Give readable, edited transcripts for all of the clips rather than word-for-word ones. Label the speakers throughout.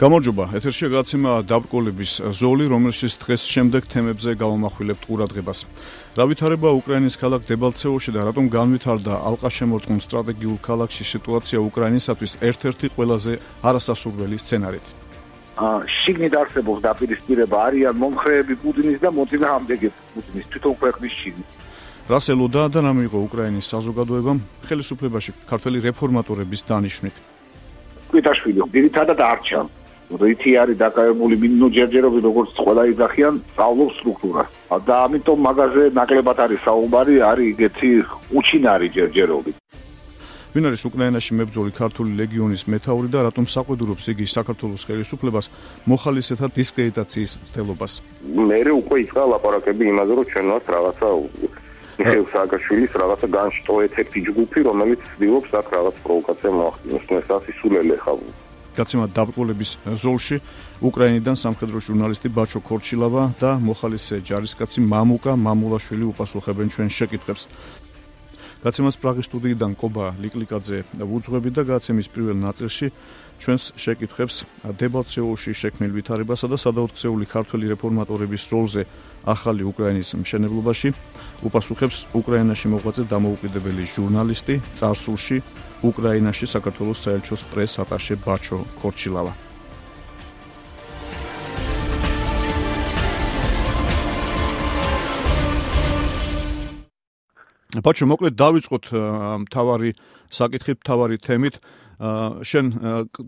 Speaker 1: გამარჯობა, ეთერშია გადაცემა დაბრკოლების ზოლი, რომელშიც დღეს შემდეგ თემებზე გავამახვილებთ ყურადღებას. რა ვითარება უკრაინის ქალაქ დებალცევოში და რატომ განვითარდა ალყაშემორტყმულ სტრატეგიულ ქალაქში სიტუაცია უკრაინისათვის ერთ-ერთი ყველაზე არასასურველი სცენარით.
Speaker 2: შიგნით არსებობს დაპირისპირება, არიან მომხრეები პუტინის და მოწინააღმდეგე პუტინის თვითონ ქვეყნის შიგნით.
Speaker 1: რას ელოდა და რა მიიღო უკრაინის საზოგადოებამ ხელისუფლებაში ქართველი რეფორმატორების დანიშვნით?
Speaker 2: კვიტაშვილი ძირითადად არჩა. რითი არის დაკავებული მინოჯერჯერობით, როგორც ყველა იძახიან, სწავლობს სტრუქტურას. და ამიტომ მაგაზე ნაკლებად არის საუბარი, არის ეგეთი უჩინარი ჯერჯერობით.
Speaker 1: ვინ არის უკრაინაში მებრძოლი ქართული ლეგიონის მეთაური და რატომ საყვედურობს იგი საქართველოს ხელისუფლებას მოხალისეთა დისკრედიტაციის მცდელობას?
Speaker 3: მე უკვე იწყა ლაპარაკები იმაზე, რომ ჩვენ ვართ რაღაცა მიხეილ სააკაშვილის რაღაცა განშტოეთერთი ჯგუფი, რომელიც ცდილობს აქ რაღაც პროვოკაცია მოახდინოს. ეს ასისულელი ხა
Speaker 1: გაცემა დაბრკოლების ზოლში უკრაინიდან სამხედრო ჟურნალისტი ბაჩო ქორჩილავა და მოხალისე ჯარისკაცი მამუკა მამულაშვილი უპასუხებენ ჩვენ შეკითხვებს. გაცემას პრაღის სტუდიიდან კობა ლიკლიკაძე უძღვებით და გაცემის პირველ ნაწილში ჩვენს შეკითხვებს დებალცევოში შექმნილ ვითარებასა და სადაოთხსეული ქართველი რეფორმატორების როლზე ახალი უკრაინის მშენებლობაში უპასუხებს უკრაინაში მოღვაწე დამოუკიდებელი ჟურნალისტი, წარსულში უკრაინაში საქართველოს საელჩოს პრეს-ატაშე ბაჩო ქორჩილავა. ბაჩო, მოკლედ დავიწყოთ მთავარი საკითხით, მთავარი თემით. შენ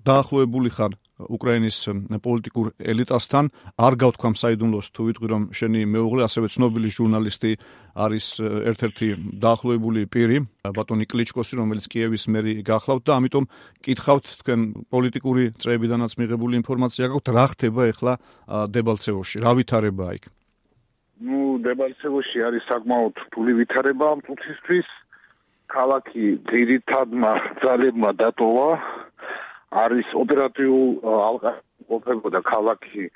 Speaker 1: დაახლოებული ხარ უკრაინის პოლიტიკურ ელიტასთან, არ გავთქვამ საიდუმლოს თუ ვიტყვი, რომ შენი მეუღლე, ასევე ცნობილი ჟურნალისტი არის ერთ-ერთი დაახლოებული პირი, ბატონი კლიჩკოსი, რომელიც კიევის მერი გახლავთ და ამიტომ კითხავთ თქვენ პოლიტიკური წრეებიდანაც მიღებული ინფორმაცია გაქვთ, რა ხდება ახლა დებალცევოში, რა ვითარებაა იქ?
Speaker 2: დებალცევოში არის საკმაოდ რთული ვითარება ამ წუთისთვის. ქალაქი ძირითადმა ძალებმა დატოვა, არის ოპერატიულ ალყა ქალაქი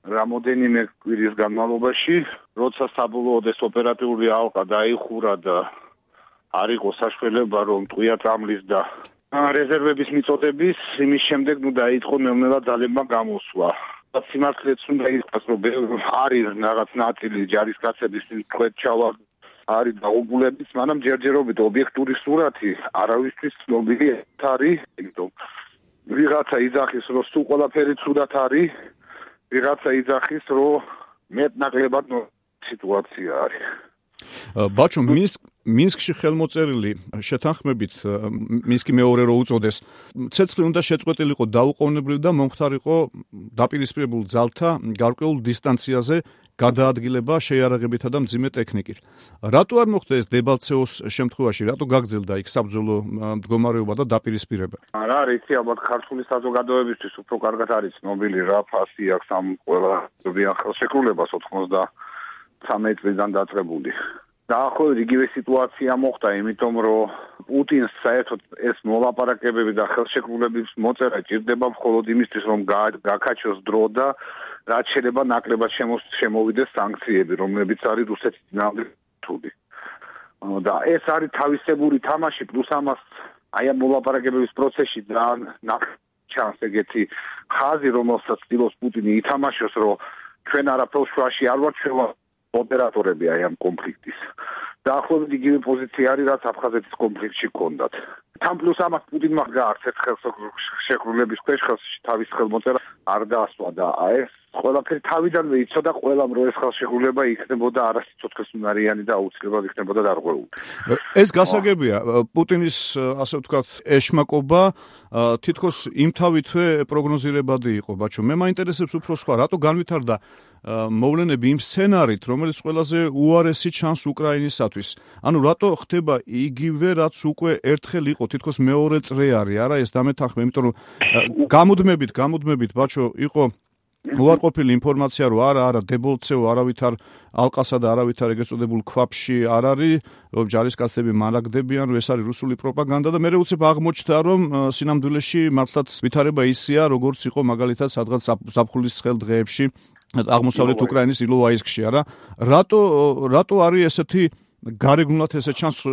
Speaker 2: რამოდენიმე კვირის განმავლობაში, როცა საბოლოოდ ეს ოპერატიული ალყა დაიხურა და არ იყო საშუალება, რომ ტყვია წამლის და რეზერვების მიწოდების, იმის შემდეგ დაიწყო ნელ-ნელა ძალებმა გამოსვლა. სიმართლეც უნდა ითქვას, რომ არის რაღაც ნაწილი ჯარისკაცების წვეთჩავა არის დაუბრუნების, მაგრამ ჯერჯერობით ობიექტური სურათი არავისთვის ცნობილი არის, იმიტომ ვიღაცა იძახის, რომ სულ ყველაფერი ცუდად არის, ვიღაცა იძახის, რომ მეტნაკლებად სიტუაცია არის.
Speaker 1: ბაჩო, მინსკში ხელმოწერილი შეთანხმებით, მინსკი მეორე რო უწოდეს, ცეცხლი უნდა შეწყვეტილიყო დაუყოვნებლივ და მომხდარიყო დაპირისპირებულ ძალთა გარკვეულ დისტანციაზე გადაადგილება შეიარაღებითა და მძიმე ტექნიკით. რატო არ მოხდა ეს დებალცევოს შემთხვევაში, რატო გაგრძელდა იქ საბრძოლო მდგომარეობა და დაპირისპირება?
Speaker 2: რა იცი, ალბათ ქართული საზოგადოებისთვის უფრო კარგად არის ცნობილი რა ფასი აქვს ამ ყველა ხელშეკრულებას 93 წლიდან დაწყებული. დაახლოებით იგივე სიტუაცია მოხდა, იმიტომ რომ პუტინს საერთოდ ეს მოლაპარაკებები და ხელშეკრულების მოწერა ჭირდება მხოლოდ იმისთვის, რომ გაკაჩოს დრო და რაც შეიძლება ნაკლებად შემოვიდეს სანქციები, რომლებიც არის რუსეთის წინააღმდეგ რთული. და ეს არის თავისებური თამაში, პლუს ამას აი ამ მოლაპარაკებების პროცესში ჩანს ეგეთი ხაზი, რომელსაც ცდილობს პუტინი ითამაშოს, რომ ჩვენ არაფერს შუაში არ ვართ, ჩვენ ოპერატორები აი ამ კონფლიქტის. დაახლოებით იგივე პოზიცია არის, რაც აფხაზეთის კონფლიქტში ჰქონდათ. თან პლუს ამას პუტინმა გაარცეთ ხელშეკრულების ქვეშ თავის ხელმოწერა არ დაასვა და ეს ყველაფერი თავიდანვე იცოდა ყველამ, რომ ეს ხელშეკრულება იქნებოდა არასიცოცხლესუნარიანი და აუცილებლად იქნებოდა დარღვეული.
Speaker 1: ეს გასაგებია, პუტინის ასე ვთქვათ ეშმაკობა თითქოს იმთავითვე პროგნოზირებადი იყო, ბაჩო. მე მაინტერესებს უფრო სხვა, რატო განვითარდა მოვლენები იმ სცენარით, რომელიც ყველაზე უარესი ჩანს უკრაინისათვის. ანუ რატო ხდება იგივე, რაც უკვე ერთხელ იყო, თითქოს მეორე წრე არის, არა ეს დამეთანხმება, იმიტომ რომ გამუდმებით, ბაჩო, იყო უარყოფილი ინფორმაცია, რომ არა დებალცევო არავითარ ალყასა და არავითარ ეგრეთ წოდებულ ქვაბში არ არის, რომ ჯარისკაცები მარაგდებიან, რომ ეს არის რუსული პროპაგანდა და მე უცებ აღმოჩნდა, რომ სინამდვილეში მართლაც ვითარება ისეა, როგორც იყო მაგალითად სადღაც ზაფხულის ცხელ დღეებში აღმოსავლეთ უკრაინის ილოვაისკში, არა? რატო არის ესეთი გარეგნულად ესე ჩანს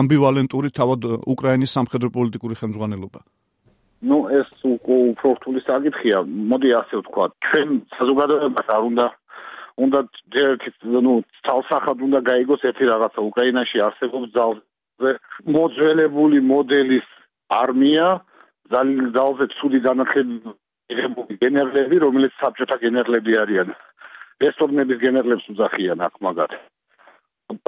Speaker 1: ამბივალენტური თავად უკრაინის სამხედრო პოლიტიკური ხელმძღვანელობა?
Speaker 2: ნუ ეს უფრო რთული საკითხია. მოდი ასე ვთქვათ, ჩვენ საზოგადოებას არ უნდა თალსახად უნდა გაიგოს ერთი რაღაცა. უკრაინაში არსებობს ძალზე მოძველებული მოდელის არმია, ძალზე ცუდი განათლებული გენერლები, რომელიც საბჭოთა გენერლები არიან. რესტორნების გენერლებს უძახიან აქ მაგათ.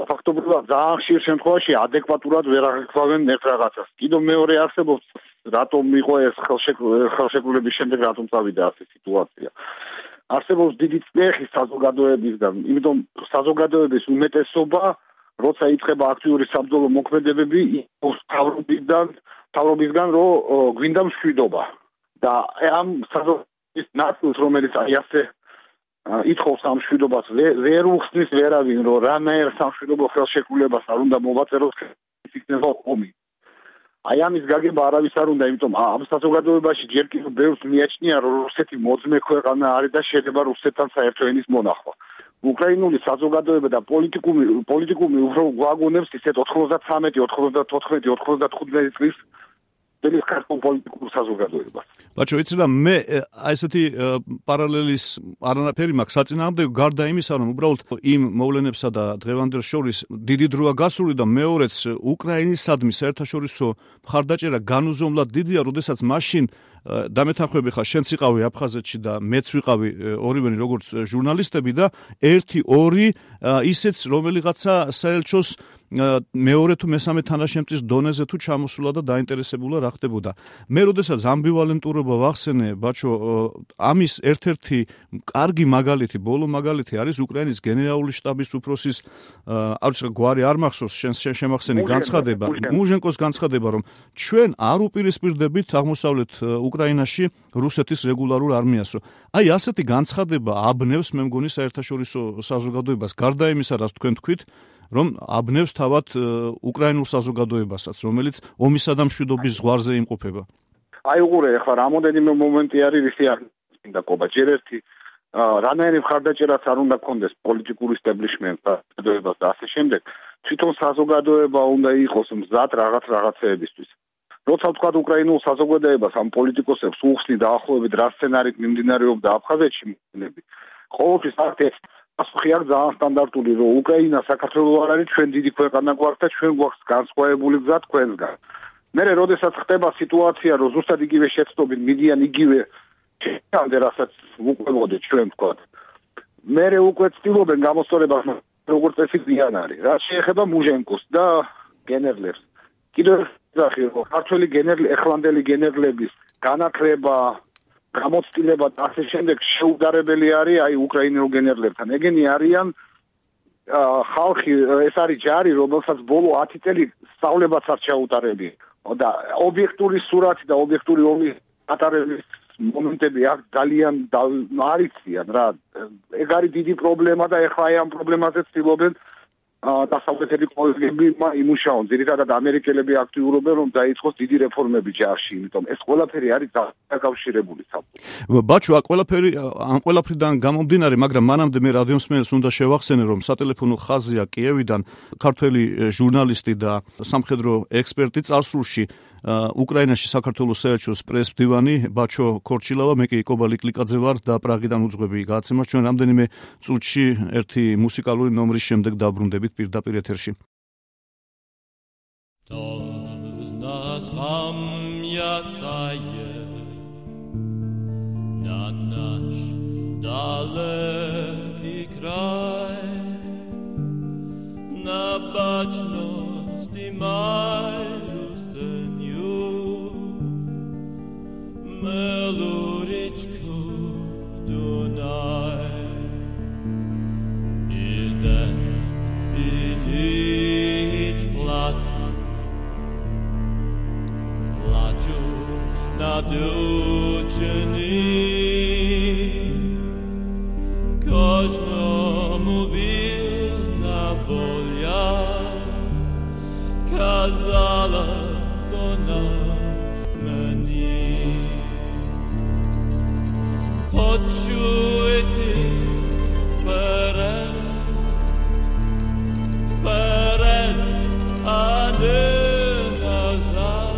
Speaker 2: ფაქტობრივად ძალიან ხშირ შემთხვევაში ადეკვატურად ვერ აღიქვამენ ერთ რაღაცას. კიდევ მეორე არსებობს, რატომ იყო ეს ხელშეკრულების შემდეგ რატომ წავიდა ასე სიტუაცია. არსებობს დიდი წნეხი საზოგადოებისგან, იმიტომ საზოგადოების უმეტესობა, როცა იწყება აქტიური საბრძოლო მოქმედებები, მთავრობისგან რომ გვინდა მშვიდობა. და ამ საზოგადოების ნაწილს, რომელიც აი ასე ითხოვს ამ მშვიდობას, ვერ უხსნის ვერავინ, რომ რანაირ სამშვიდობო ხელშეკრულებას არ უნდა მოვაწეროს, იქნება ომი. აი ამის გაგება არავის არ უნდა, იმიტომ ამ საზოგადოებაში ჯერ კიდევ ბევრს მიაჩნია, რომ რუსეთი მოძმე ქვეყანა არის და შეიძლება რუსეთთან საერთო ენის მონახვა. უკრაინული საზოგადოება და პოლიტიკუმი უფრო გვაგონებს ისეთ 93, 94, 95 წლის ეს ქართულ პოლიტიკურ საზოგადოებას.
Speaker 1: ბაჩო, იცი რა, მე აი ესეთი პარალელის არანაირი მაქვს საწინააღმდეგო, გარდა იმისა, რომ უბრალოდ იმ მოვლენებსა და დღევანდელ შორის დიდი დროა გასული და მეორეც უკრაინისადმი საერთაშორისო მხარდაჭერა განუზომლად დიდია, როდესაც მაშინ დამეთანხმები ხარ, შენც იყავი აფხაზეთში და მეც ვიყავი ორივენი როგორც ჟურნალისტები და 1-2 ისეც რომელიღაცა საელჩოს მეორე თუ მესამე თანაშემწის დონეზე თუ ჩამოსულა და დაინტერესებულა რა ხდებოდა. მე როდესაც ამბივალენტურობა ვახსენე, ბაჩო, ამის ერთ-ერთი კარგი მაგალითი, ბოლო მაგალითი არის უკრაინის გენერალური შტაბის უფროსის გვარი არ მახსოვს, შენ შემახსენი განცხადება, მუჟენკოს განცხადება, რომ ჩვენ არ უპირისპირდებით აღმოსავლეთ უკრაინაში რუსეთის რეგულარულ არმიას. აი ასეთი განცხადება აბნევს, მე მგონი, საერთაშორისო საზოგადოებას, გარდა იმისა, რაც თქვენ თქვით, რომ აბნევს თავად უკრაინულ საზოგადოებასაც, რომელიც ომისა და მშვიდობის ზღვარზე იმყოფება.
Speaker 2: აი უყურე, ახლა რამოდენიმე მომენტი არის, ვისი არ მინდა ყობა. ჯერ ერთი რანაირი მხარდაჭერაც არ უნდა გქონდეს პოლიტიკურ ისტებლიშმენტს და ასე შემდეგ. თვითონ საზოგადოება უნდა იყოს მზად რაღაცეებისთვის. როცა ვთქვათ უკრაინულ საზოგადოებას ამ პოლიტიკოსებს უხსნი დაახლოებით რა სცენარით მიმდინარეობდა აფხაზეთში მოვლენები. ყოველთვის აქ პასუხი აქვს ძალიან სტანდარტული, რომ უკრაინა საქართველოს არ არის, ჩვენ დიდი ქვეყანა გვაქვს და ჩვენ გვაქვს განსხვავებული გზა თქვენსგან. მერე როდესაც ხდება სიტუაცია, რომ ზუსტად იგივე შეცდომით მიდიან იგივე ჩამდე, რასაც უყველოდეთ ჩვენ ვთქვათ. მერე უკვე ცდილობენ გამოსწორებას, როგორც წესი ზიან არის. რაც შეეხება მუჟენკოს და გენერლებს. კიდევ ძახი, რომ ქართველი ეხლანდელი გენერლების განათლება, გამოცდილება და ასე შემდეგ შეუდარებელი არის აი უკრაინელ გენერლებთან. ეგენი არიან ხალხი, ეს არის ჯარი, რომელსაც ბოლო 10 წელი სწავლებაც არ ჩაუტარები. და ობიექტური სურათი და ობიექტური ომის ატარების მომენტები აქ ძალიან არიციან რა. ეგ არის დიდი პრობლემა და ეხლა აი ამ პრობლემაზე ცდილობენ დასავლეთელი კოლეგები იმუშაონ. ძირითადად ამერიკელები აქტიურობენ, რომ დაიწყოს დიდი რეფორმები ჯარში, იმიტომ ეს ყველაფერი არის დაკავშირებული საბჭოთი.
Speaker 1: ბაჩო, ამ ყველაფრიდან გამომდინარე, მაგრამ მანამდე მე რადიომსმენელს უნდა შევახსენე, რომ სატელეფონო ხაზია კიევიდან ქართველი ჟურნალისტი და სამხედრო ექსპერტი წარსულში უკრაინაში საქართველოს საელჩოს პრესმდივანი ბაჩო ქორჩილავა, მე კი კობა ლიკლიკაძე ვარ და პრაღიდან უძღვები გააცემას. ჩვენ რამდენიმე წუთში ერთი მუსიკალური ნომრის შემდეგ დაბრუნდებით პირდაპირ ეთერში.
Speaker 4: Meluričku Dunaj Jeden ilič plaču nadučeni Kožnomu vilna volja kazala ona Почуйте вперед, а не назад.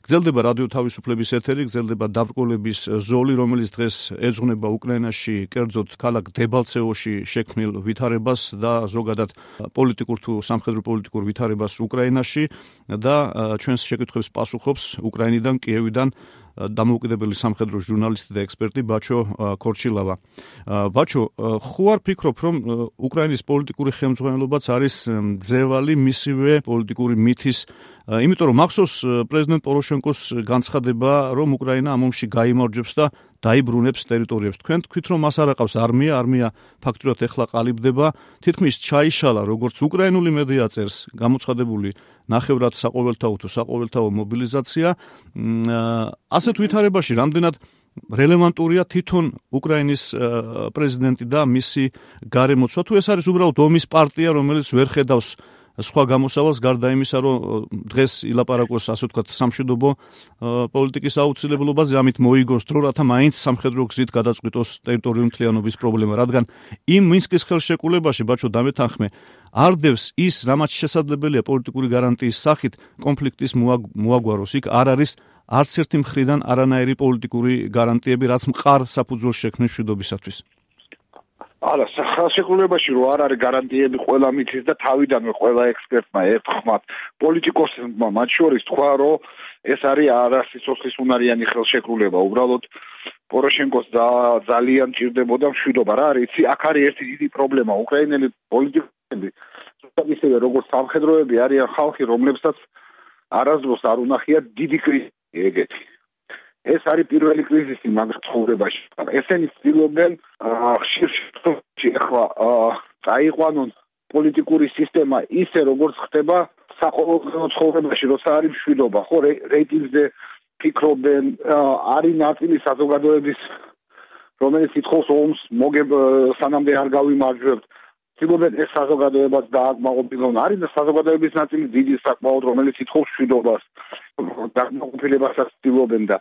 Speaker 1: გრძელდება რადიო თავისუფლების ეთერი, გრძელდება დაბრკოლების ზოლი, რომელიც დღეს ეძღვნება უკრაინაში, კერძოდ ქალაქ დებალცევოში შექმნილ ვითარებას და ზოგადად პოლიტიკურ თუ სამხედრო პოლიტიკურ ვითარებას უკრაინაში და ჩვენს შეკითხვებს პასუხობს უკრაინიდან, კიევიდან დამოუკიდებელი სამხედრო ჟურნალისტი და ექსპერტი ბაჩო ქორჩილავა. ბაჩო, ხო არ ფიქრობ, რომ უკრაინის პოლიტიკური ხელმძღვანელობაც არის მძევალი მისივე პოლიტიკური მითის, იმიტომ რომ მახსოვს პრეზიდენტ პოროშენკოს განცხადება, რომ უკრაინა ამ ომში გაიმარჯვებს და დაიბრუნებს ტერიტორიებს. თქვენ თქვით, რომ მას არ აყავს არმია ფაქტურად ეხლა ყალიბდება, თითქმის ჩაიშალა როგორც უკრაინული მედია წერს, გამოცხადებული ნახევრად საყოველთაო თუ საყოველთაო მობილიზაცია. ასეთ ვითარებაში რამდენად რელევანტურია თვითონ უკრაინის პრეზიდენტი და მისი გარემოცვა, თუ ეს არის უბრალოდ ომის პარტია, რომელიც ვერ ხედავს სხვა გამოსავალს გარდა იმისა, რომ დღეს ილაპარაკოს, ასე ვთქვათ, სამშვიდობო პოლიტიკის აუცილებლობაზე, ამით მოიგოს დრო, რათა მაინც სამხედრო გზით გადაწყვიტოს ტერიტორიული მთლიანობის პრობლემა, რადგან იმ მინსკის ხელშეკრულებაში, ბაჩო, დამეთანხმე, არდევს ის, რამაც შესაძლებელია პოლიტიკური გარანტიის სახით კონფლიქტის მოაგვაროს. იქ არ არის არც ერთი მხრიდან არანაირი პოლიტიკური გარანტიები, რაც მყარ საფუძველს შექმნის მშვიდობისათვის.
Speaker 2: არა, ხელშეკრულებაში რო არ არის გარანტიები ყველა მითის და თავიდანვე ყველა ექსპერტმა ერთხმად პოლიტიკოსებმა მათ შორის თქვა, რომ ეს არის არასიცოცხლის უნარიანი ხელშეკრულება. უბრალოდ პოროშენკოს ძალიან ჭირდებოდა მშვიდობა. რა არის, იცი, აქ არის ერთი დიდი პრობლემა. უკრაინელი პოლიტიკოსები, ისევე როგორც სამხედროები, არიან ხალხი, რომლებსაც არასდროს არ უნახია დიდი კრიზისი ეგეთი. ეს არის პირველი კრიზისი მაგ ცხოვრებაში. ესენი ცდილობენ ხშირ შემთხვევაში ახლა წაიყვანონ პოლიტიკური სისტემა ისე როგორც ხდება საყოველთაო ცხოვრებაში, როცა არის მშვიდობა, ხო, რეიტინგზე ფიქრობენ, არის ნაწილი საზოგადოების, რომელიც ითხოვს ომს, სანამდე არ გავიმარჯვებთ. ცდილობენ ეს საზოგადოებაც დააკმაყოფილონ. არის და საზოგადოების ნაწილი დიდი საკმაოდ, რომელიც ითხოვს მშვიდობას, დაკმაყოფილებასაც ცდილობენ და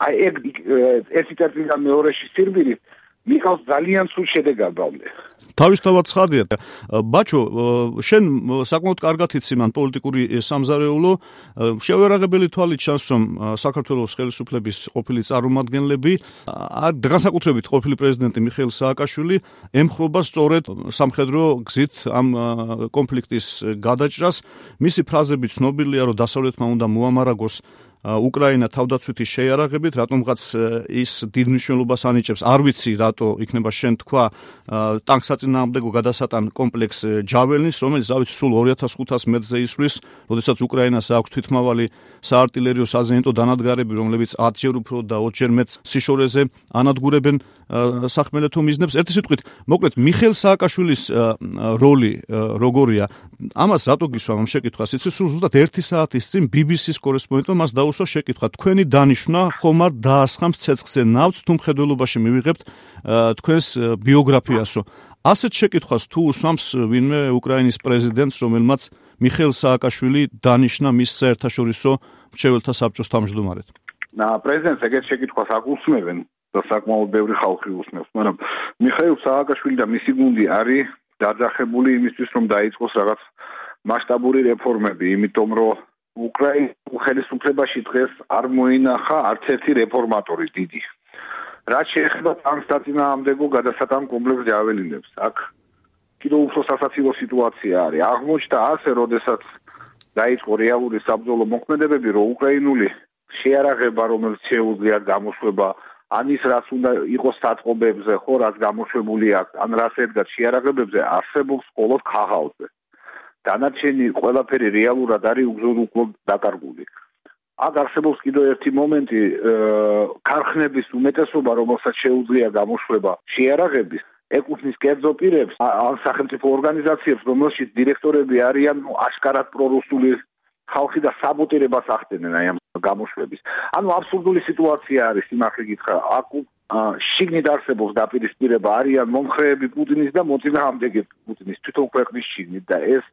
Speaker 2: აი ეს იწევდა მეორეში სირბილი მიყავს ძალიან სულ შედეგამდე.
Speaker 1: თავისთავად ცხადია. ბაჩო, შენ საკმაოდ კარგად იცი მან პოლიტიკური სამზარეულო, შევერაღებელი თვალით ჩანს, რომ საქართველოს ხელისუფლების ყოფილი წარმომადგენლები, განსაკუთრებით ყოფილი პრეზიდენტი მიხეილ სააკაშვილი ემხრობა სწორედ სამხედრო გზით ამ კონფლიქტის გადაჭრას. მისი ფრაზები ცნობილია, რომ დასავლეთმა უნდა მოამარაგოს უკრაინა თავდაცვითი შეიარაღებით, რატომღაც ის დიდ მნიშვნელობას ანიჭებს. არ ვიცი, რატო იქნება შენ თქვა ტანკსაწინააღმდეგო გადასატან კომპლექს ჯაველნის, რომელიც სულ 2500 მეტრზე ისვლის, როდესაც უკრაინას აქვს თვითმავალი საარტილერიო საზენიტო დანადგარები, რომლებიც 10-ჯერ უფრო და 20-ჯერ მეტ სიშორეზე ანადგურებენ სახმელეთო მიზნებს. ერთი სიტყვით, მოკლედ, მიხეილ სააკაშვილის როლი როგორია? ამას რატო გისვამ ამ შეკითხვას? იცი, სულ ზუსტად 1 საათის წინ BBC-ს კორესპონდენტმა მას დაუსვა შეკითხვა. თქვენი დანიშვნა ხომ არ დაასხამს ცეცხლზე ნავთს, თუ მხედველობაში მივიღებთ თქვენს ბიოგრაფიასო. ასეთ შეკითხვას თუ უსვამს ვინმე უკრაინის პრეზიდენტს, რომელმაც მიხეილ სააკაშვილი დანიშნა მის საერთაშორისო მრჩეველთა საბჭოს თავმჯდომარედ?
Speaker 2: პრეზიდენტს ეგეთ შეკითხვას არ უსმევენ და საკმაოდ ბევრი ხალხი უსმევს, მაგრამ მიხეილ სააკაშვილი და მისი გუნდი არის დაძახებული იმისთვის, რომ დაიწყოს რაღაც მასშტაბური რეფორმები, იმიტომ რომ უკრაინის ხელისუფლებაში დღეს არ მოინახა არც ერთი რეფორმატორი დიდი. რაც შეეხება ტანკს საწინააღმდეგო გადასატან კომპლექს ჯაველინებს, აქ კიდევ უფრო სასაცილო სიტუაცია არის. აღმოჩნდა ასე, როდესაც დაიწყო რეალური საბრძოლო მოქმედებები, რომ უკრაინული შეარაღება, რომელიც შეუძლია გამოშვება ან ის რაც უნდა იყოს სატყობებზე, ხო, რაც გამოშვებული აქვს, ან რაც ედგათ შეარაღებებზე, არსებობს მხოლოდ ქაღალდზე. დანარჩენი ყველაფერი რეალურად არის უგზო დაკარგული. აქ არსებობს კიდევ ერთი მომენტი, ქარხნების უმეტესობა, რომელსაც შეუძლია გამოშვება შეარაღების, ეკუთვნის კერძო პირებს, ან სახელმწიფო ორგანიზაციებს, რომელშიც დირექტორები არიან აშკარად პრორუსული ხალხი და საბოტირებას ახდენენ აი ამ გამოშვების. ანუ აბსურდული სიტუაცია არის, სიმართლე გითხრა. აქ შიგნით არსებობს დაპირისპირება, არიან მომხრეები პუტინის და მოწინააღმდეგე პუტინის თვითონ ქვეყნის შიგნით და ეს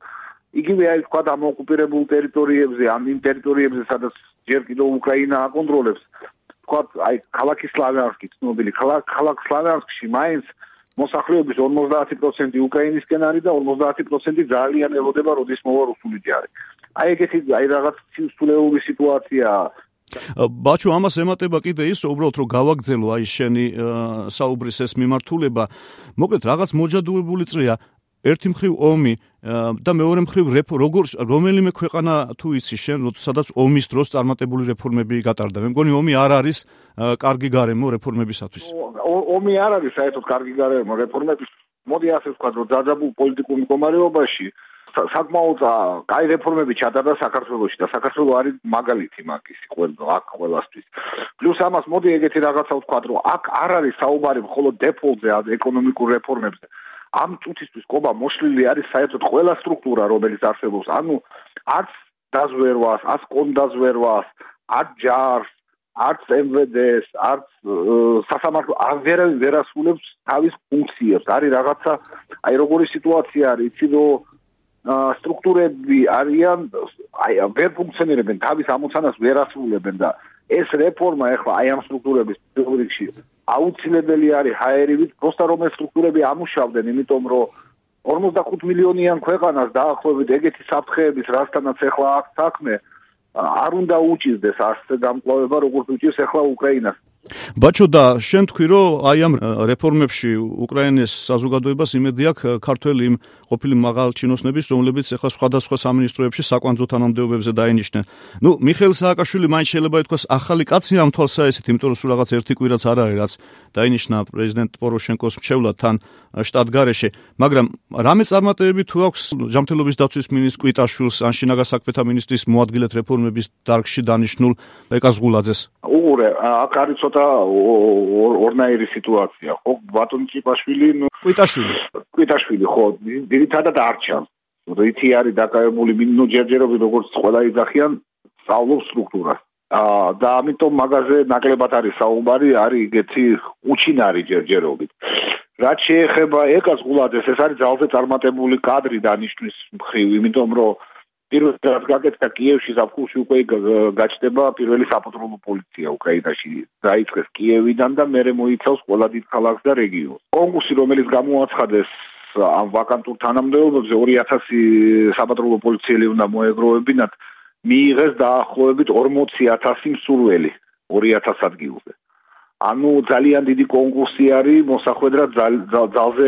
Speaker 2: იგივე არის თქვა ამ ოკუპირებულ ტერიტორიებზე, ამ იმ ტერიტორიებზე, სადაც ჯერ კიდევ უკრაინა აკონტროლებს. თქვა აი ქალაქი სლავიანსკი, ცნობილი ქალაქ სლავიანსკში მაინც მოსახლეობის 50% უკრაინისკენ არის და 50% ძალიან ელოდება როდის მოვა რუსული ჯარი. აი ეგეთი აი რაღაც სულეული სიტუაციაა.
Speaker 1: ბაჩო, ამას ემატება კიდე ის, უბრალოდ რომ გავაგრძელო აი შენი საუბრის ეს მიმართულება. მოკლედ რაღაც მოჯადოებული წრეა. ერთი მხრივ ომი და მეორე მხრივ რომელიმე ქვეყანა თუ იცი შენ, სადაც ომის დროს წარმატებული რეფორმები გატარდა. მე მგონი ომი არ არის კარგი გარემო რეფორმებისათვის.
Speaker 2: ომი არ არის საერთოდ კარგი გარემო რეფორმების. მოდი ასე ვთქვათ, რომ დაძაბულ პოლიტიკურ მდგომარეობაში საკმაოდ კაი რეფორმები ჩატარდა საქართველოში და საქართველო არის მაგალითი მაგისი ყველასთვის. პლუს ამას მოდი ეგეთი რაღაცა ვთქვათ, რომ აქ არ არის საუბარი მხოლოდ დეფოლტზე, ეკონომიკურ რეფორმებზე. ამ წუთისთვის ყობა მოშლილი არის საერთოდ ყველა სტრუქტურა, რომელიც არსებობს. ანუ არც დაზვერვას, არც კონდაზვერვას, არც ჯარს, არც MVD-ს, არც სასამართლო ვერ ასრულებს თავის ფუნქციებს. არის რაღაცა, აი როგორი სიტუაცია არის, იცი რომ სტრუქტურები არიან, აი ვერ ფუნქციონირებენ, თავის ამოცანას ვერ ასრულებენ და ეს რეფორმა ახლა აი ამ სტრუქტურების რიგში აუცილებელი არის ჰაერივით, პროსტა რომ ეს სტრუქტურები ამუშავდნენ, იმიტომ რომ 45 მილიონიან ქვეყანას დაახლოებით ეგეთი საფრთხეების, რასთანაც ახლა აქვს საქმე, არ უნდა უჭირდეს ასე გამკლავება, როგორც უჭირს ახლა უკრაინას.
Speaker 1: ბაჩო, და შენ თქვი, რომ აი ამ რეფორმებში უკრაინის საზოგადოებას იმედი აქვს ქართველი იმ ყოფილი მაღალჩინოსნების, რომლებიც ახლა სხვადასხვა სამინისტროებში საკვანძო თანამდებობებზე დაინიშნენ. ნუ მიხეილ სააკაშვილი მაინც შეიძლება ითქვას ახალი კაცი ამ თვალსაჩინო, იმიტომ რომ სულ რაღაც ერთი კვირაც არ არის, რაც დაინიშნა პრეზიდენტ პოროშენკოს მრჩევლად თან შტატგარეშე, მაგრამ რამე წარმატებები თუ აქვს ჯანმრთელობის დაცვის მინისტრ კვიტაშვილს, ან შინაგან საქმეთა მინისტრის მოადგილედ რეფორმების დარგში დანიშნულ ეკა ზღულაძეს?
Speaker 2: უღურე, აქ არის ცოტა ორნაირი სიტუაცია, ხო? ბატონ კვიტაშვილი, ხო, ძირითადად არ ჩანს. რითი არის დაკავებული, ჯერჯერობით როგორც ყველა იძახიან, სწავლობს სტრუქტურას. და ამიტომ მაგაზე ნაკლებად არის საუბარი, არის ეგეთი უჩინარი ჯერჯერობით. რაც შეეხება ეკა ზღულაძეს, ეს არის ძალზე წარმატებული კადრი დანიშნვის მხრივ, იმიტომ რომ პირველად გაკეთდა კიევში ზაფხულში უკვე გაჩნდება პირველი საპატრულო პოლიცია უკრაინაში. დაიწყეს კიევიდან და მერე მოიცავს ყველა დიდ ქალაქს და რეგიონს. კონკურსი, რომელიც გამოაცხადეს ამ ვაკანტურ თანამდებობებზე 2000 საპატრულო პოლიციელი უნდა მოეგროვებინათ, მიიღეს დაახლოებით 40,000 მსურველი 2000 ადგილზე. ანუ ძალიან დიდი კონკურსი არის, მოსახვედრად ძალზე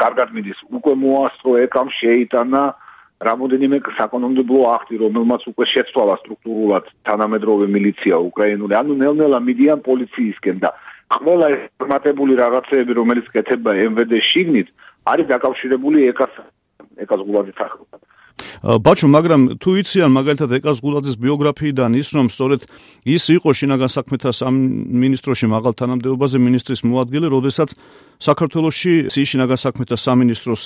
Speaker 2: კარგად მიდის. უკვე მოასწრო ეკამ შეიტანა რამოდენიმე საკანონმდებლო აქტი, რომელმაც უკვე შეცვალა სტრუქტურულად თანამედროვე მილიცია უკრაინული. ანუ ნელ-ნელა მიდიან პოლიციისკენ და ყველა ეს წარმატებული რაღაცეები, რომელიც კეთება MVD შიგნით, არის დაკავშირებული ეკა ზღულაძის სახელთან.
Speaker 1: ბაჩო, მაგრამ თუ იციან მაგალითად ეკა ზღულაძის ბიოგრაფიიდან ის, რომ სწორედ ის იყო შინაგან საქმეთა სამინისტროში მაღალ თანამდებობაზე მინისტრის მოადგილე, როდესაც საქართველოში შინაგან საქმეთა სამინისტროს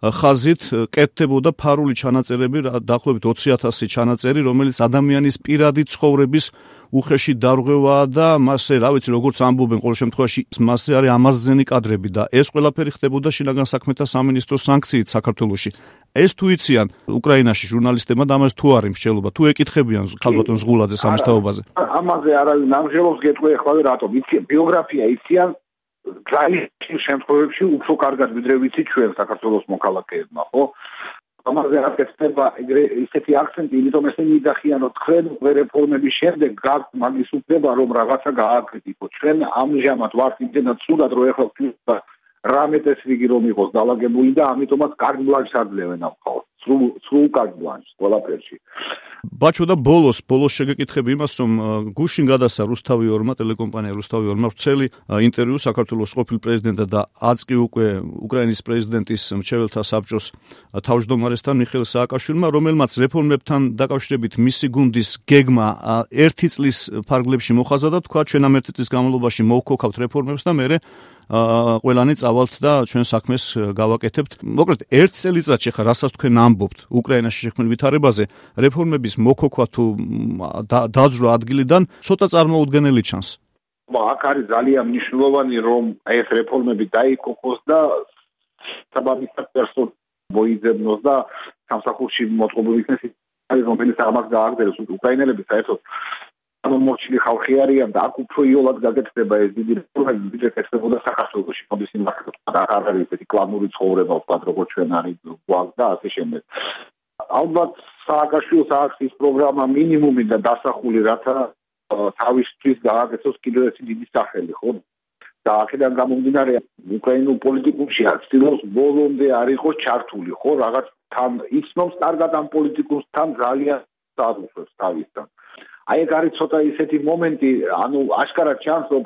Speaker 1: ხაზით კეთდებოდა ფარული ჩანაწერები, დაახლოებით 20,000 ჩანაწერი, რომელიც ადამიანის პირადი ცხოვრების უხეში დარღვევაა და მასზე, რა ვიცი, როგორც ამბობენ, ყოველ შემთხვევაში მასზე არის ამაზნენი კადრები და ეს ყველაფერი ხდებოდა შინაგან საქმეთა სამინისტროს სანქციით საქართველოში. ეს თუ იციან უკრაინაში ჟურნალისტებმა და ამას თუ არის მსჯელობა, თუ ეკითხებიან ქალბატონ ზღულაძეს ამის თაობაზე?
Speaker 2: ამაზე არავინ ამჟელობს, გეტყვი ახლა რატომ? იციან ბიოგრაფია, იციან ძალიან შემთხვევებში უფრო კარგად ვიდრე ვიცით ჩვენ საქართველოს მოქალაქეებმა, ხო? ამაზე აკეთება ისეთი აქცენტი, იმიტომ ესენი იძახიან, რომ თქვენ რეფორმების შემდეგ გაქვთ მაგის უფლება, რომ რაღაცა გააკრიტიკოთ. ჩვენ ამჟამად ვართ იმდენად სულად, რომ ეხლა ვთქვით რამეტეს რიგი რომ იყოს დაალაგებული და ამიტომაც კარგ ბლანშს აძლევენ ამ ხალხს. სრულ კარგ ბლანშს ყველაფერში.
Speaker 1: ბაჩო და ბოლოს შეგეკითხები იმას, რომ გუშინ გადასცა რუსთავი 2-მა, ტელეკომპანია რუსთავი 2-მა ვრცელი ინტერვიუ საქართველოს ყოფილ პრეზიდენტად და აწკი უკვე უკრაინის პრეზიდენტის მრჩეველთა საბჭოს თავმჯდომარესთან მიხეილ სააკაშვილმა, რომელმაც რეფორმებთან დაკავშირებით მისი გუნდის გეგმა 1 წლის ფარგლებში მოხაზა და თქვა, ჩვენ ამ 1 წლის განმავლობაში მოვქოქავთ რეფორმებს და მერე ყველანი წავალთ და ჩვენ საქმეს გავაკეთებთ. მოკლედ 1 წელიწადში ხა რასაც თქვენ ამბობთ უკრაინაში შექმნილ ვითარებაზე, რეფორმების მოქოქვა თუ დაძრა ადგილიდან ცოტა წარმოუდგენელი ჩანს.
Speaker 2: აქ არის ძალიან მნიშვნელოვანი, რომ ეს რეფორმები დაიქოქოს და საბაბისად პერსონალს მოიძებნოს და სამსახურში მოწყობილი იქნეს, რომელიც ამას გააგრძელებს. უკრაინელები საერთოდ ამომორჩილი ხალხი არიან და აქ უფრო იოლად გაგეთდება ეს დიდი რეფორმები, ვიდრე ექცებოდა საქართველოში. მოდის იმას და არ არის ესეთი კლანური ცხოვრება, ვთქვათ, როგორც ჩვენ არის გვაქვს და ასე შემდეგ. ალბათ სააკაშვილს აქვს ის პროგრამა მინიმუმი და დასახული, რათა თავისთვის გააკეთოს კიდევ ერთი დიდი სახელი, ხო? და აქედან გამომდინარე, უკრაინულ პოლიტიკუმში ცდილობს ბოლომდე არ იყოს ჩართული, ხო? რაღაც თან იცნობს კარგად ამ პოლიტიკუმს, თან ძალიან დააძლევს თავისთან. აი ეგ არის ცოტა ისეთი მომენტი, ანუ აშკარად ჩანს, რომ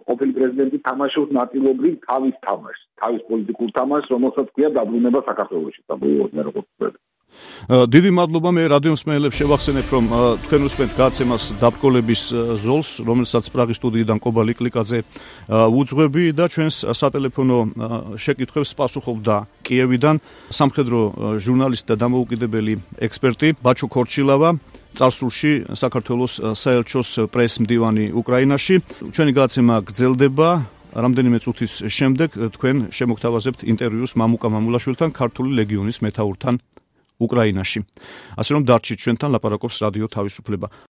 Speaker 2: ყოფილი პრეზიდენტი თამაშობს ნაწილობრივ თავის თამაშს, თავის პოლიტიკურ თამაშს, რომელსაც ქვია დაბრუნება საქართველოში.
Speaker 1: დიდი მადლობა, მე რადიო მსმენელებს შევახსენებ, რომ თქვენ უსმენთ გადაცემას დაბკოლების ზოლს, რომელსაც პრაღის სტუდიიდან კობა ლიკლიკაძე უძღვები და ჩვენს სატელეფონო შეკითხვებს პასუხობდა კიევიდან სამხედრო ჟურნალისტი და დამოუკიდებელი ექსპერტი ბაჩო ქორჩილავა, წარსულში საქართველოს საელჩოს პრესმდივანი უკრაინაში. ჩვენი გადაცემა გრძელდება. რამდენიმე წუთის შემდეგ თქვენ შემოგთავაზებთ ინტერვიუს მამუკა მამულაშვილთან, ქართული ლეგიონის მეთაურთან უკრაინაში. ასე რომ დარჩით ჩვენთან, ლაპარაკობს რადიო თავისუფლება.